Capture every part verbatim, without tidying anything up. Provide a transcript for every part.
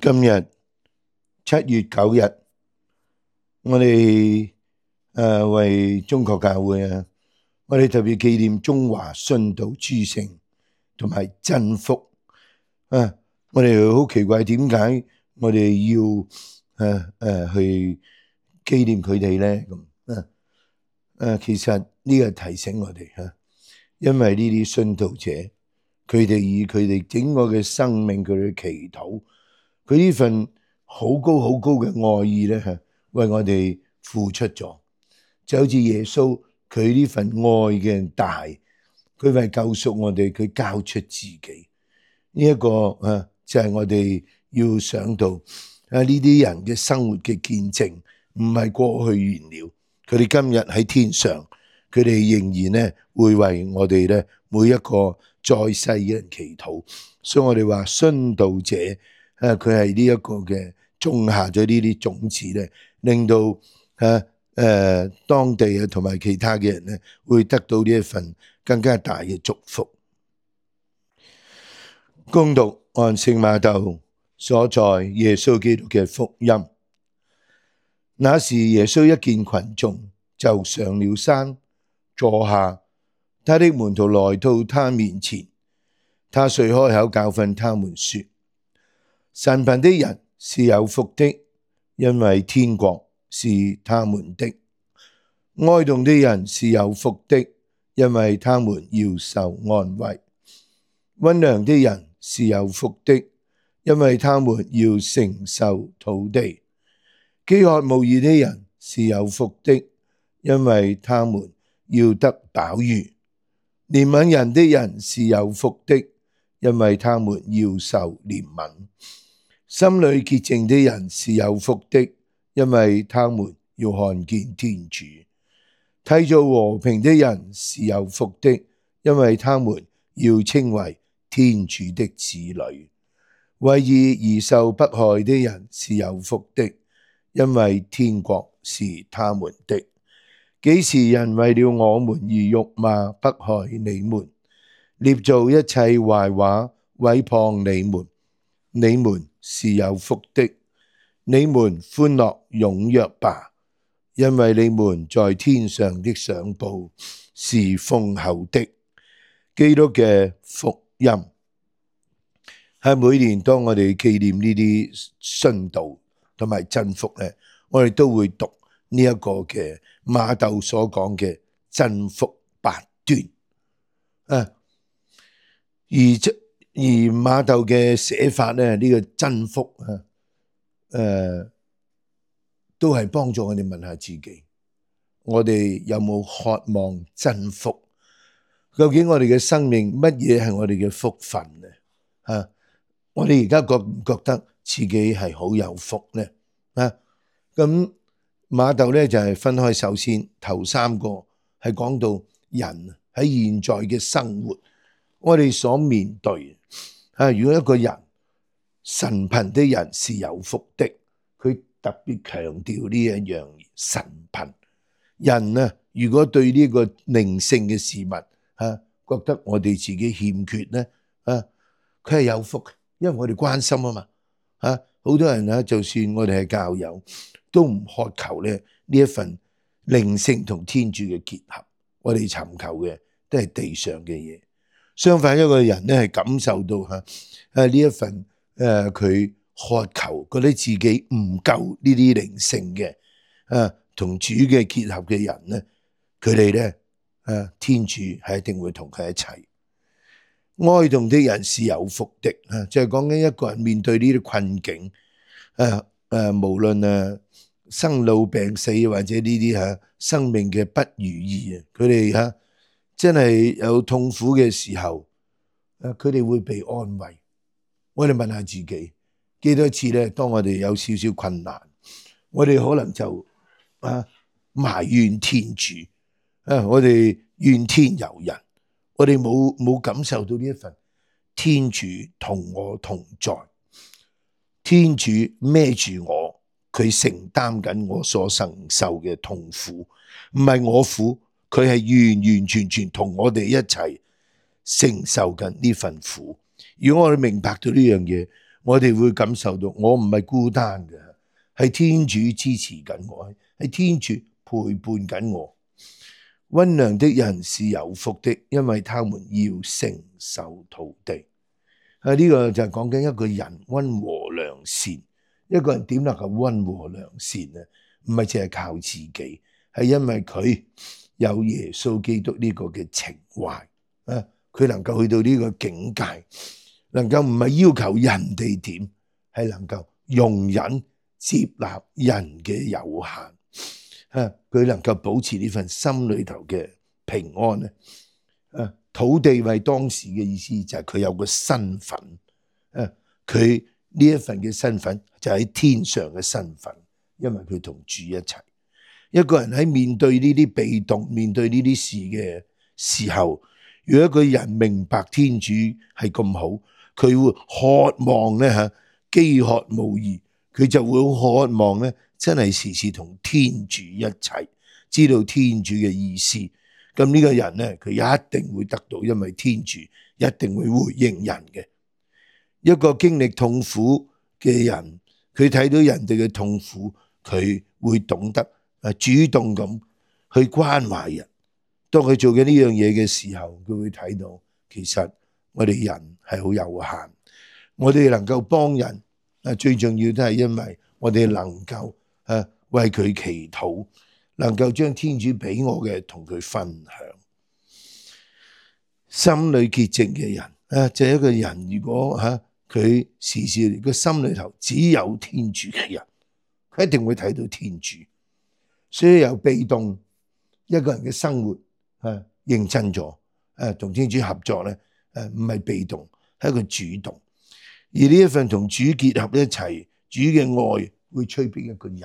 今日七月九日，我哋誒為中國教會啊，我哋特別紀念中華殉道諸聖同埋真福啊！我哋好奇怪，點解我哋要誒誒、啊、去紀念佢哋咧？咁啊誒，其實呢個提醒我哋嚇、啊，因為呢啲殉道者，佢哋以佢哋整個嘅生命，佢哋祈禱。佢呢份好高好高嘅愛意咧，嚇為我哋付出咗，就好似耶穌佢呢份愛嘅大，佢為救贖我哋，佢交出自己。呢、這、一個啊，就係、是、我哋要想到啊呢啲人嘅生活嘅見證，唔係過去完了，佢哋今日喺天上，佢哋仍然咧會為我哋咧每一個在世嘅人祈禱。所以我哋話殉道者。誒佢係呢一個嘅種下咗呢啲種子咧，令到誒誒、呃、當地啊同埋其他嘅人咧，會得到呢一份更加大嘅祝福。恭讀按聖馬竇所在耶穌基督嘅福音。那時耶穌一見群眾，就上了山坐下，他的門徒來到他面前，他遂開口教訓他們說：神貧的人是有福的，因為天國是他們的；哀慟的人是有福的，因為他們要受安慰；溫良的人是有福的，因為他們要承受土地；飢渴慕義的人是有福的，因為他們要得飽飫；憐憫人的人是有福的，因為他們要受憐憫。心裏潔淨的人是有福的，因為他們要看見天主；締造和平的人是有福的，因為他們要稱為天主的子女；為義而受迫害的人是有福的，因為天國是他們的。幾時人為了我們而辱罵迫害你們，捏造一切壞話毀謗你們，你們是有福的，你們歡樂踴躍吧，因為你們在天上的賞報是豐厚的。基督嘅福音係每年當我哋紀念呢啲殉道同埋真福咧，我哋都會讀呢一個嘅馬竇所講嘅真福八端啊，而而馬竇嘅寫法咧，呢、這個真福啊，誒、呃，都係幫助我哋問下自己，我哋有冇渴望真福？究竟我哋嘅生命乜嘢係我哋嘅福分咧？啊，我哋而家覺唔覺得自己係好有福咧？啊，咁馬竇咧就係、是、分開，首先頭三個係講到人喺現在嘅生活，我哋所面對。啊！如果一個人神貧的人是有福的，佢特別強調呢一樣神貧人啊！如果對呢個靈性嘅事物啊，覺得我哋自己欠缺咧啊，佢係有福，因為我哋關心啊嘛啊！好多人啊，就算我哋係教友，都唔渴求咧呢一份靈性同天主嘅結合，我哋尋求嘅都係地上嘅嘢。相反，一個人咧係感受到吓誒呢一份誒佢、呃、渴求，覺得自己唔夠呢啲靈性嘅誒同主嘅結合嘅人咧，佢哋咧誒天主係一定會同佢一齊。哀慟的人是有福的啊，就係講緊一個人面對呢啲困境誒誒、呃，無論誒生老病死或者呢啲吓生命嘅不如意啊，佢哋吓。真係有痛苦嘅時候，誒，佢哋會被安慰。我哋問下自己，幾多次咧？當我哋有少少困難，我哋可能就啊埋怨天主，啊，我哋怨天尤人，我哋冇冇感受到呢一份天主同我同在，天主孭住我，佢承擔緊我所承受嘅痛苦，唔係我苦。佢係完完全全同我哋一齊承受緊呢份苦。如果我哋明白到呢樣嘢，我哋會感受到我唔係孤單嘅，係天主支持緊我，係天主陪伴緊我。溫良的人是有福的，因為他們要承受土地。啊，呢個就係講緊一個人溫和良善。一個人點能夠溫和良善呢？唔係淨係靠自己，係因為佢有耶穌基督呢個嘅情懷啊，佢能夠去到呢個境界，能夠唔係要求人哋點，係能夠容忍接納人嘅有限啊，佢能夠保持呢份心裏頭嘅平安咧。啊，土地為當時嘅意思就係佢有個身份啊，佢呢一份嘅身份就喺天上嘅身份，因為佢同主一齊。一個人喺面對呢啲被動、面對呢啲事嘅時候，如果一個人明白天主係咁好，佢會渴望咧嚇，飢渴慕義，佢就會好渴望咧，真係時時同天主一齊，知道天主嘅意思。咁呢個人咧，佢一定會得到，因為天主一定會回應人嘅。一個經歷痛苦嘅人，佢睇到人哋嘅痛苦，佢會懂得啊主動咁去關懷人。當佢做緊呢樣嘢嘅時候，佢會睇到其實我哋人係好有限，我哋能夠幫人啊，最重要都係因為我哋能夠啊為佢祈禱，能夠將天主俾我嘅同佢分享。心裏潔淨嘅人啊，就係一個人，如果吓佢時時個心裏頭只有天主嘅人，佢一定會睇到天主。所以由被動一個人嘅生活啊，認真咗，誒同天主合作咧，誒唔係被動，係一個主動。而呢一份同主結合一齊，主嘅愛會催逼一個人，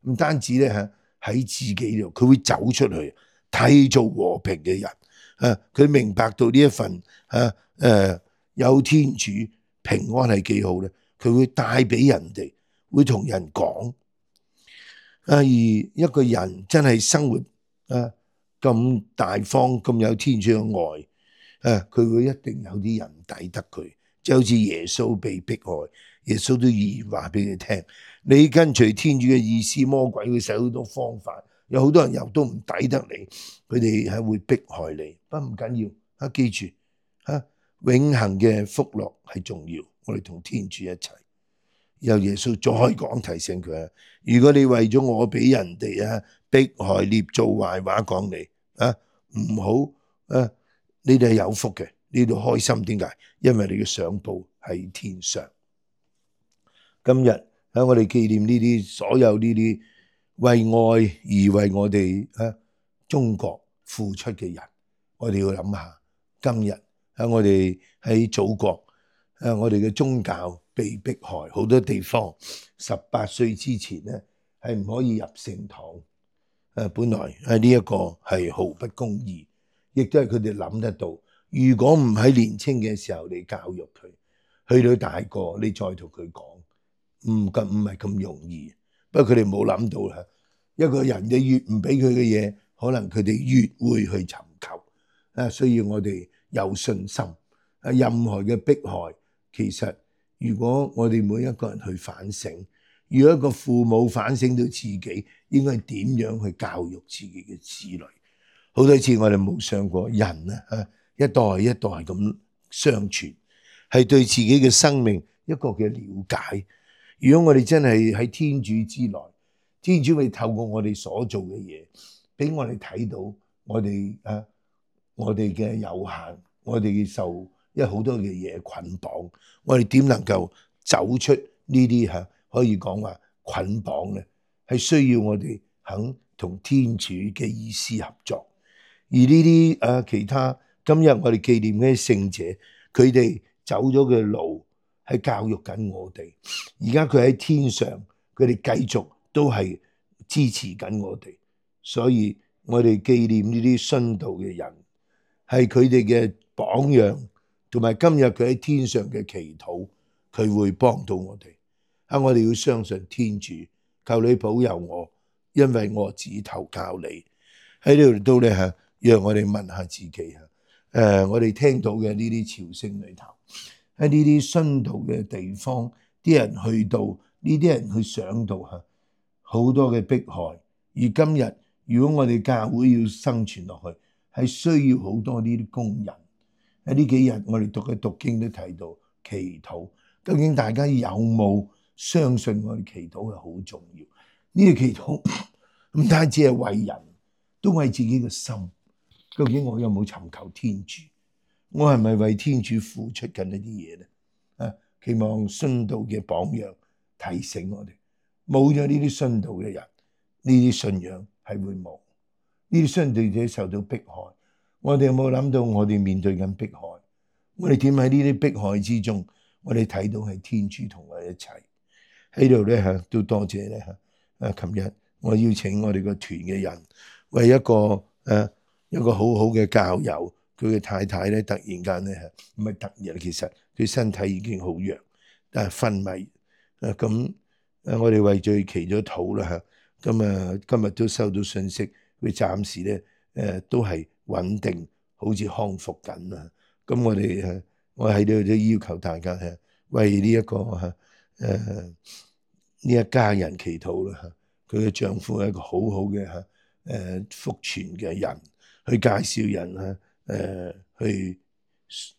唔單止咧吓喺自己度，佢會走出去，締造和平嘅人。啊！佢明白到呢一份啊誒有天主平安係幾好咧，佢會帶俾人哋，會同人講。啊！而一個人真係生活啊咁大方，咁有天主嘅愛，啊佢會一定有啲人抵得佢，就好似耶穌被迫害，耶穌都預言話俾佢聽：你跟隨天主嘅意思，魔鬼會使好多方法。有好多人又都唔抵得你，佢哋係會迫害你，不過唔緊要，啊記住，啊永恆嘅福樂係重要，我哋同天主一齊。由耶穌再講提醒佢啊，如果你為咗我俾人哋啊迫害捏造壞話講你啊，唔好啊，你哋係有福嘅，你哋開心，點解？因為你嘅賞報喺天上。今日喺我哋紀念呢啲所有呢啲為愛而為我哋啊中國付出嘅人，我哋要諗下，今日喺我哋喺祖國，誒我哋嘅宗教被迫害，好多地方十八歲之前咧係唔可以入聖堂，誒本來喺呢一個係毫不公義，亦都係佢哋諗得到。如果唔喺年青嘅時候你教育佢，去到大個你再同佢講，唔咁唔係咁容易。不過佢哋冇諗到啦，一個人你越唔俾佢嘅嘢，可能佢哋越會去尋求。啊，所以我哋有信心。啊，任何嘅迫害，其實如果我哋每一個人去反省，如果一個父母反省到自己應該點樣去教育自己嘅子女，好多次我哋冇想過人啊，一代一代咁相傳，係對自己嘅生命一個嘅了解。如果我哋真係喺天主之內，天主會透過我哋所做嘅嘢，俾我哋睇到我哋啊，我哋嘅有限，我哋受因為好多嘅嘢捆綁，我哋點能夠走出呢啲吓可以講話捆綁咧？係需要我哋肯同天主嘅意思合作。而呢啲啊其他今日我哋紀念嘅聖者，佢哋走咗嘅路，係教育緊我哋，而家佢喺天上，佢哋繼續都係支持緊我哋，所以我哋紀念呢啲殉道嘅人，係佢哋嘅榜樣，同埋今日佢喺天上嘅祈禱，佢會幫到我哋。啊，我哋要相信天主，求你保佑我，因為我只投靠你。喺呢度都咧吓，讓我哋問下自己吓，誒、呃，我哋聽到嘅呢啲朝聖裏頭。喺呢啲殉道嘅地方，啲人去到呢啲人去上到嚇，好多嘅迫害。而今日如果我哋教會要生存落去，係需要好多呢啲工人。喺呢幾日我哋讀嘅讀經都提到祈禱，究竟大家有冇相信我哋祈禱係好重要？呢個祈禱唔單止係為人，都為自己嘅心。究竟我有冇尋求天主？我係咪為天主付出緊一啲嘢咧？啊，期望殉道嘅榜樣提醒我哋，冇咗呢啲殉道嘅人，呢啲信仰係會冇。呢啲殉道者受到迫害，我哋有冇諗到我哋面對緊迫害？我哋點喺呢啲迫害之中，我哋睇到係天主同我哋一齊喺度咧嚇，都多謝咧嚇。啊，琴日我邀請我哋個團嘅人，為一個誒一個好好嘅教友，佢嘅太太咧突然間咧嚇，唔係突然，其實佢身體已經好弱，但係昏迷。誒咁誒，我哋為咗佢祈咗禱啦嚇。咁啊，今日都收到信息，佢暫時咧誒都係穩定，好似康復緊啦。咁我哋誒，我喺度都要求大家係為呢一個嚇誒呢一家人祈禱啦嚇。佢嘅丈夫係一個好好嘅嚇誒福傳嘅人，去介紹人嚇誒去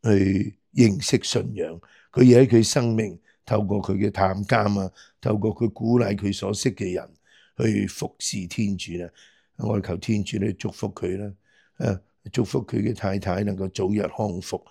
去認識信仰。佢要喺佢生命透過佢嘅探監啊，透過佢鼓勵佢所識嘅人去服侍天主啦。我哋求天主咧祝福佢啦，誒祝福佢嘅太太能夠早日康復，